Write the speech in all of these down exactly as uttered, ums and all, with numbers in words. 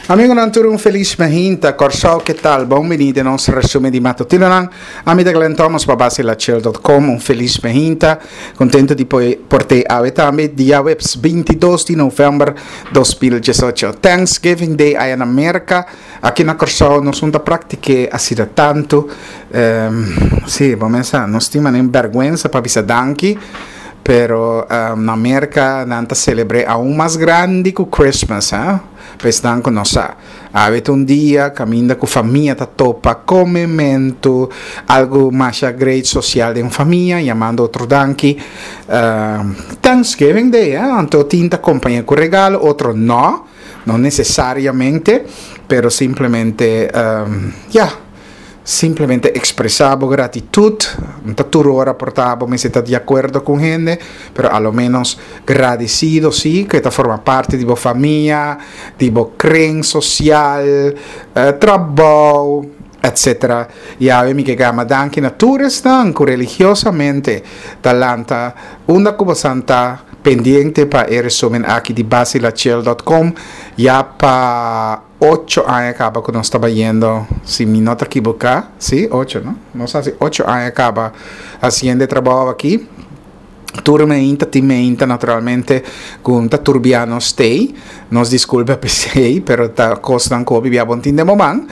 Amigonan tur, un felis mainta. Kòrsou, ke tal? Bon bini den nos resumen di matutinonan. Ami ta Glenn Thomas pa Basilachel punto com. Un felis mainta. Kontentu di por t'ei awe tambe, djaweps bintidos di novèmber dos mil diesocho. Thanksgiving Day aya na Merka. Aki na Kòrsou nos no ta praktik'é asina tantu. Um, sí, ban pensa, nos tin un bèrgwensa pa bisa danki, pero um, na Merka nan ta selebrá aun mas grandi ku Christmas, eh? Pues nan ku nos sa. Awe un dia kaminda ku famia ta topa, komementu, algu mas great sosial di famia, yamando otro danki. Uh, Thanksgiving Day, eh? Anto tin ta kompañá ku regalo, otro no, no nesesariamente, pero simplemente, um, yeah, simplemente ekspresá gratitut. No ta tur ora por ta bo ta di akuerdo ku hende, pero a lo menos gradesido sí, ku ta forma parti di bo famia, di bo kren sosial, eh, trabou, etcétera. I awe mi ke yama danki na tur esnan ku religiosamente ta lanta unda ku ta pendiente pa e resumen aki di basilachel punto com ya pa ocho aña kaba ku nos ta bayendo, si mi no ta ekivoká, sí, ocho, no? Nos a hasi ocho aña kaba hasiendo e trabou aki. Tur mainta, tin mainta naturalmente ku ta turbia nos stay. Nos diskulpa p'esei, pero ta kosnan ku bibia bon tin de momang.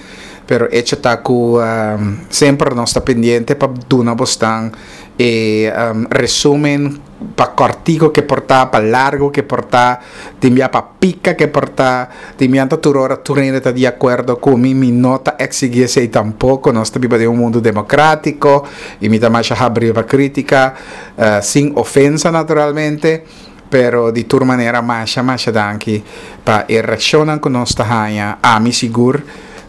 Pero hecho ta ku um, semper nos ta pendiente pa duna bosnan e um, resumen pa kòrtiku ku por ta, pa largu ku por ta, tin bia pa pika ku por ta, tin bia tur ora tur hende ta di akuerdo ku mi, mi no ta eksigí esei tampoko. Nos ta biba den un mundu demokrátiko i mi ta mas habrí pa krítika, uh, sin ofensa naturalmente, pero di tur manera masha masha danki pa e reakshon ku nos ta haña, ami sigur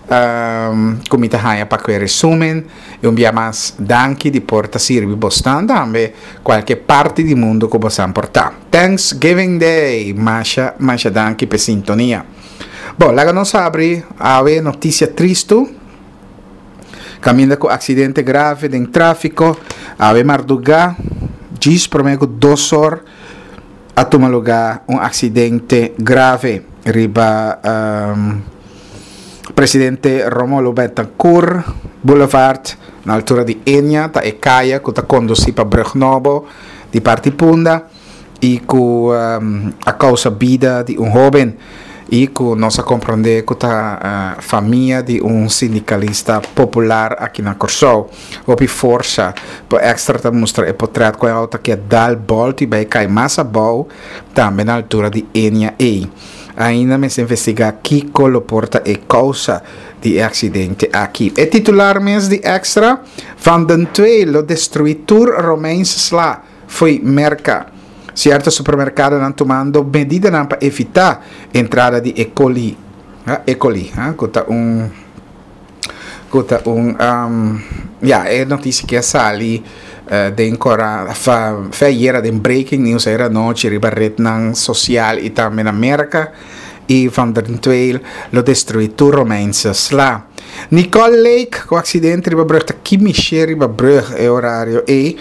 um, ku mi ta haña pa e resumen i un bia mas danki di por ta sirbi bosnan tambe kualke parti di mundu ku boso por ta. Thanksgiving Day, masha masha danki pa sintonia. Bon, laga nos habri awe notisia tristu. Kaminda ku aksidente grave den tráfiko, awe mardugá, djis promé ku dos or, a tuma lugá un aksidente grave riba um, Presidente Romulo Betancourt Boulevard, na altura di Enya, ta e kaya ku ta kondusí pa Brug Nobo di parti Punda i ku um, a kousa bida di un hóben i ku nos a komprondé ku ta uh, famia di un sindikalista popular aki na Kòrsou. Hopi forsa pa Extra ta mustra e portrèt ku e outo ku a dal bòltu i bai kai mas abou tambe na altura di Enya E. Ainda mester investigá kiko lo por ta e kousa di aksidente aki. E titular mes di Extra: Van den Tweel lo destruí tur Romeinse sla fo'i Merka. Sierto supermerkadonan tumando medida pa evitá entrada di E. coli. Ah, E. coli, ah, ku ta un ku ta un um, ja, e notisia ku a sali uh, den kora fa fe ayera den breaking news ayera nochi riba retnan sosial i tambe na Merka i Van den Tweel lo destruí tur Romeinse sla. Nicole Lake ku aksidente riba brug ta kimishe riba brug e orario e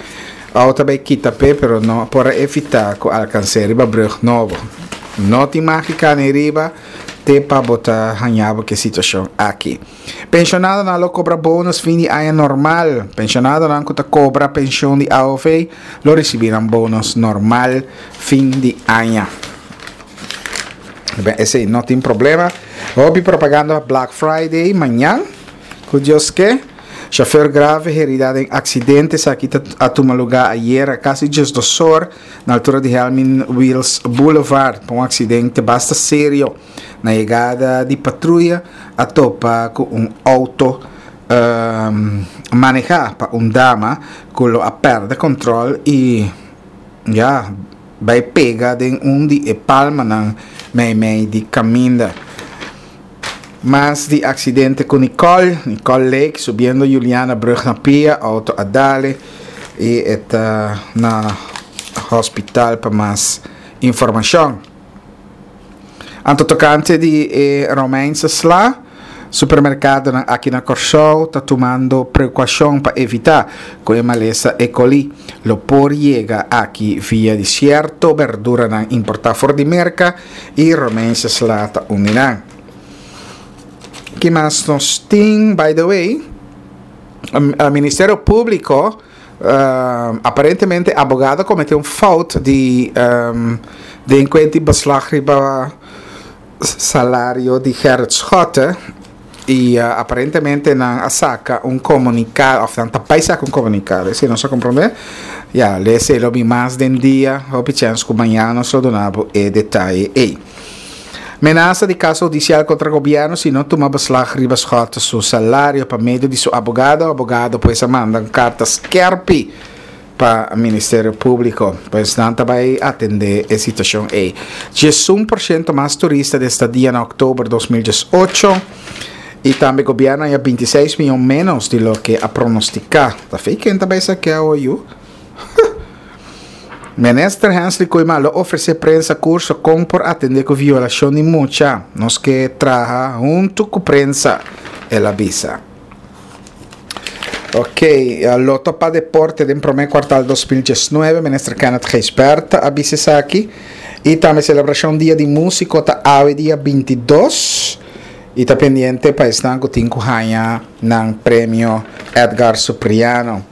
outo bai kita pe, pero no por evitá ku alkans'é riba Brug Nobo. No tin mágika ni riba te pa bo ta haña bo ku e situashon aki. Pensionadonan lo kobra bonus fin di aña normal. Pensionadonan ku ta kobra penshon di A O V lo risibí un bonus normal fin di aña. Ben, esei no tin problema. Hopi propaganda Black Friday mañan. Ku Dios ke. Chauffeur grave heridá den aksidente aki a tuma lugá ayera kasi diesdos or na altura di Helmin Wiels Boulevard. Un aksidente basta serio. Na yegada di patruya a topa ku un outo um, manehá pa un dama ku a pèrdè kontròl i ya bai pega den un di e palmanan mei di kaminda. Mas di aksidente ku Nicole, Nicole Lake, subiendo Juliana Brug na pia, outo a dal e i ta na hospital pa mas informashon. Anto tokante di eh, Romeinse sla, supermerkadonan aki na Kòrsou ta tumando prekoushon pa evitá ku e malesa E. coli lo por yega aki via di sierto berduranan importá for di Merka i Romeinse sla ta un di nan. Ki mas nos tin, by the way, Ministerio Públiko, uh, aparentemente abogado a kometé un fout di um, di enkuanto beslag riba salario di Gerrit Schotte i uh, aparentemente nan a saka un komunikado, òf nan ta bai saka un komunikado, si nos a komprondé, ya, lesa lo bin mas den dia, hopi chèns ku mañan nos lo duna bo e detaye ei. Menasa di kaso hudisial kontra gobièrnu si no tuma beslag riba Schotte su salario pa medio di su abogado. Abogado pues a manda un karta skèrpi pa Ministerio Públiko. Pues nan ta bai atendé e situashon ei. Diesun porshento mas turista den estadia na òktober dos mil diesocho i tambe gobièrnu a binti seis mion ménos di loke a pronostiká. Ta fei ken ta bai sakeá awe yu? Minister Hensley Koeiman lo ofresé prensa kurso kon por atendé ku violashon di mucha. Nos ke traha huntu ku prensa, el a bisa. Ok, Loto pa Deporte den promé kuartal dos mil diesnuebe, Minister Kenneth Gijsbertha a bisa esaki. I tambe selebrashon Dia di Músiko ta awe dia binti dos i ta pendiente pa esnan ku tin ku haña nan premio Edgar Supriano.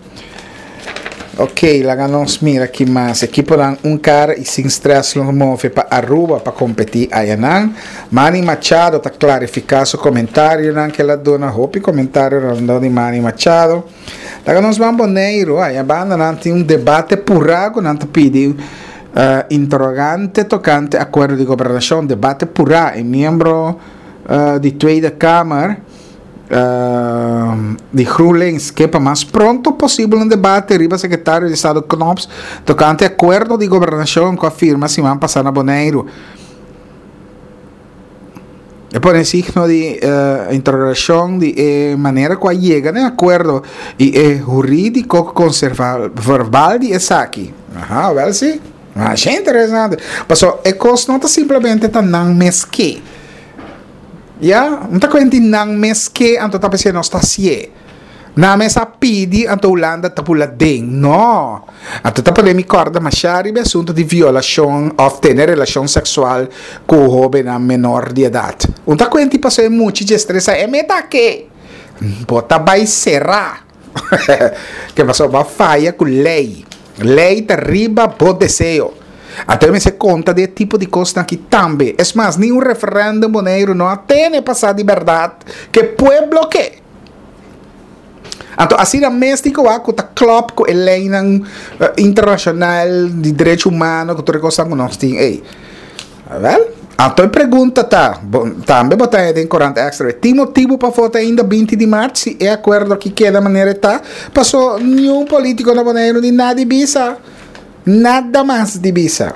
Ok, laga nos mira ki mas. Ekiponan un kara i sin stress lo move pa Aruba pa kompetí ayanan. Manny Machado ta klarifiká su komentarionan ku el a duna. Hopi komentario rondó di Manny Machado. Laga nos ban Boneiru. Aya banda nan tin un debate purá ku nan ta pidi interogante tokante akuerdo di gobernashon. Debate purá. E miembro di Tweede Kamer di GroenLinks ke pa mas pronto posibel un debate riba sekretario di Estado Knops tokante akuerdo di gobernashon ku a firma siman pasá na Boneiru. E pone signo di interogashon di e manera ku a yega na e akuerdo i e hurídiko verbal di esaki. Aha, wèl si. Masha interesante. Pasobra e kos no ta simplemente ta nan mes ke. Ya, no ta kuenti nan mes ke, anto ta p'esei nos ta hasié. Nan mes a pidi, anto Hulanda ta bula den. No. Anto ta pone mi kòrda mashá riba e asuntu di violashon òf tene relashon seksual ku hóbennan menor di edat. Un ta kuenti pasobra e muchi dje stresá, e meta ke? Bo ta bai será. Ke pasobra bo a faya ku lei. Lei ta riba bo deseo. Anto e mester konta di e tipo di kosnan aki tambe. Es mas, ni un referèndum Boneiru no a tene pa sa di bèrdat ke pueblo ke. Anto asina mes tin ku wak ku ta klòp ku e leinan internashonal di derecho humano ku tur e kosnan ku nos tin ei. Wèl, anto e pregunta ta, tambe bo ta haña den Korant Extra, tin motibu pa vota ainda binti di mart si e akuerdo aki keda manera e ta? Paso niun polítiko na Boneiru ni nadi bisa. Nada mas di bisa.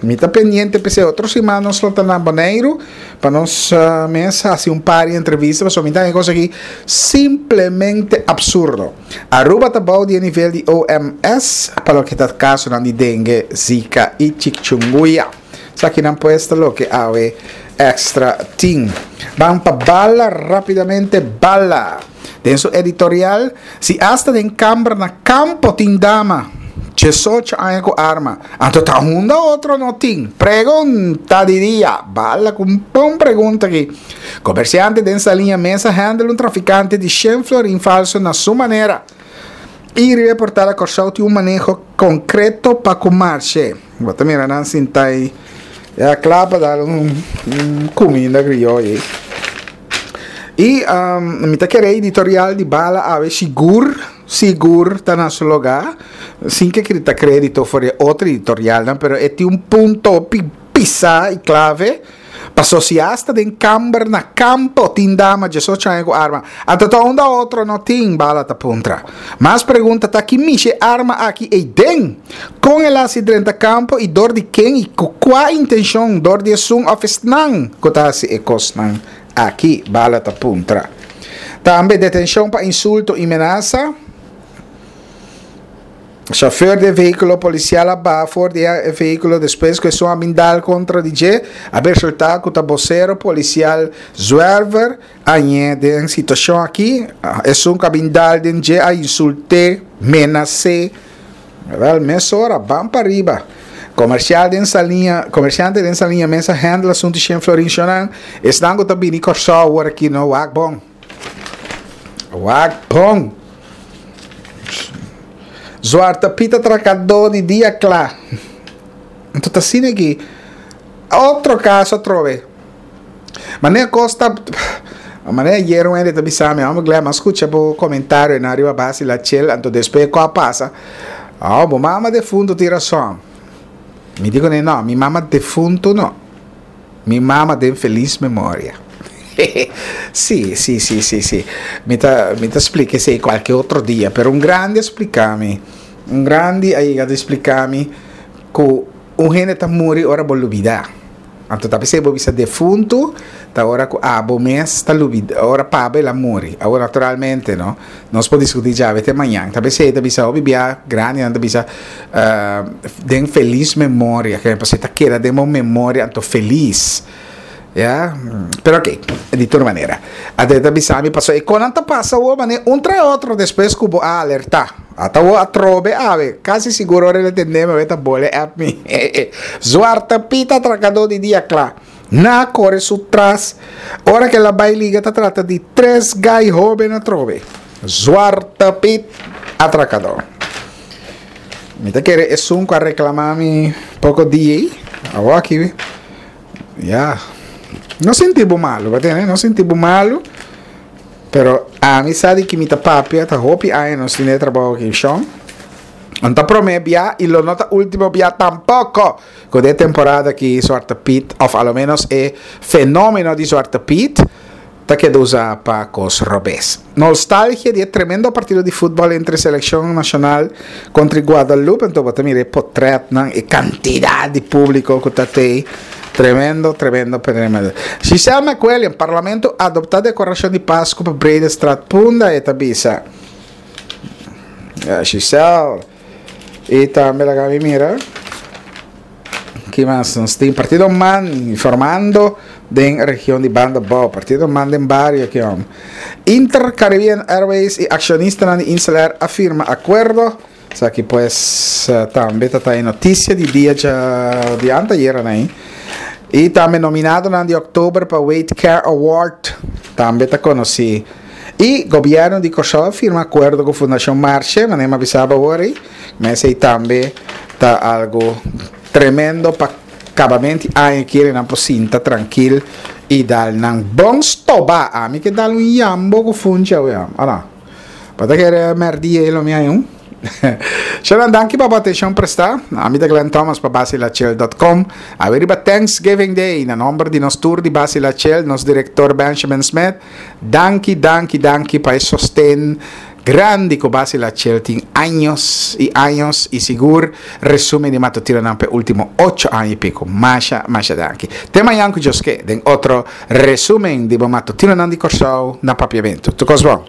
Mi ta pendiente p'esei otro siman nos lo ta na Boneiru pa nos mes hasi un par di entrevista pasobra mi ta haña e kos aki simplemente absurdo. Aruba ta bou di e nivel di O M S pa loke ta kasonan di dengue, Zika i chikungunya. Esakinan pues ta loke awe Extra tin. Ban pa Bala rapidamente Bala. Den su editorial, si asta den kamber na kampo tin dama diesocho aña ku arma, anto ta unda otro no tin? Pregunta di dia. Bala ku un bon pregunta aki. Komersiante den Saliña mes a handle un trafikante di shen florin falso na su manera. I riba e portal a Kòrsou tin un maneho konkreto pa ku marshe. Bo ta mira nan sinta ei ya kla pa dal un kuminda krioyo ei. I mi ta kere editorial di Bala awe sigur, sigur ta na su lugá, sin ke kita kredito for e otro editorialnan, pero e tin un punto hopi pisá i klave. Paso si asta den kamber na kampo tin dama diesocho aña ku arma, anto ta unda otro no tin? Bala ta puntra. Mas pregunta ta ki mishi e arma aki ei den? Kon el a hasi drenta kampo i dor di ken i ku kua intenshon? Dor di esun òf esnan ku ta hasi e kosnan aki? Bala ta puntra. Tambe detenshon pa insulto i menasa. Chauffeur di e vehiculo policial a baha for di e vehiculo despues cu esun a bin dal contra di dje. A resulta cu ta bocero policial Zwerver a ñe den situacion aki. Esun cu a bin dal den dje a insulte, menase. Wel, mesora, ban pa riba. Komersial den Saliña, komersiante den Saliña mes a handle asuntu shen florin shonnan. Esnan ku ta bini Kòrsou awor aki no, wak bon. Wak bon. Zwarte Piet atrakadó di dia kla. Anto ta asina aki. Otro kaso atrobe. Manera kos ta, manera ayer un hende ta bisa mi, "Hombre Glenn, m'a skucha bo komentarionan riba Basi La Chel, anto despues ku a pasa, oh, bo mama defuntu tin rason." Mi di kuné, "No, mi mama defuntu no. Mi mama den felis memoria." Sí, sí, sí, sí, sí. Mi ta, mi ta splika esei kualke otro dia, pero un grandi a splika mi, un grandi a yega di splika mi ku un hende ta muri ora bo lubidá. Anto ta p'esei bo bisa defuntu ta ora ku abo mes ta lubidá, ora pa bo el a muri. Awor naturalmente no, nos por diskutí djawe te mañan. Ta p'esei ta bisa hopi bia grandinan ta bisa den felis memoria, ke pasobra ta keda den bo memoria anto felis. Ya, pero ok, di tur manera. Anto e ta bisa mi pasobra e konan ta pasa awor manera un trae otro despues ku bo a alertá. Ata awor atrobe awe, kasi sigur ora el a tende mi awe ta bole app mi. Zwarte Piet atrakadó di dia kla. Nan a kore su tras. Ora ku el a bai liga ta trata di tres gai hóben atrobe. Zwarte Piet atrakadó. Mi ta kere esun ku a reklamá mi poko dia ei, awor aki. Ya. No sinti bo malu, bo tende? No sinti bo malu. Pero ami sa di ki mi ta papia, ta hopi aña nos tin e trabou aki, shon. No ta promé bia i lo no ta último bia tampoko ku den e temporada aki Zwarte Piet, òf a lo ménos e fenómeno di Zwarte Piet, ta keda usá pa kos robes. Nostalgia di e tremendo partido di futbòl entre selekshon nashonal kontra Guadalupe, anto bo ta mira e potrètnan, e kantidat di públiko ku ta tei. Tremendo, tremendo, tremendo. Giselle McWilliam, Parlamento adoptá dekorashon di Pasku pa Breedestraat Punda, e ta bisa. Giselle. I tambe laga mi mira. Ki mas nos tin? Partido man informando den region di Banda Bou. Partido man den bario ki hom. Inter Caribbean Airways i akshonistanan di Insel Air a firma akuerdo. Esaki pues tambe ta ta e notisia di dia dja di anteayera nan. I tambe nominadonan di oktober pa Wait Care Award tambe ta konosí. I gobièrnu di Kòrsou a firma akuerdo ku Fundashon Marshe, manera mi a bisa bo awor ei. Ma esei tambe ta algu tremendo pa kabamenti aña kere nan por sinta trankil i dal nan bon stoba. Ami ke dal un yambo ku funchi awe, ora. Bo ta kere mèrdia ei lo mi haña un? Shownan danki pa bo atenshon prestá. Ami ta Glenn Thomas pa Basilachel dot com. Awe riba Thanksgiving Day, na nomber di nos tur di Basilachel, nos direktor Benjamin Smith, danki, danki, danki pa e sosten grandi ku Basilachel tin años i años i sigur resumen di matutinonan pa e ultimo ocho aña i pico. Masha, masha danki. Te mañan ku Dios ke den otro resumen di bo matutinonan di Kòrsou na Papiamentu. Tur kos bon.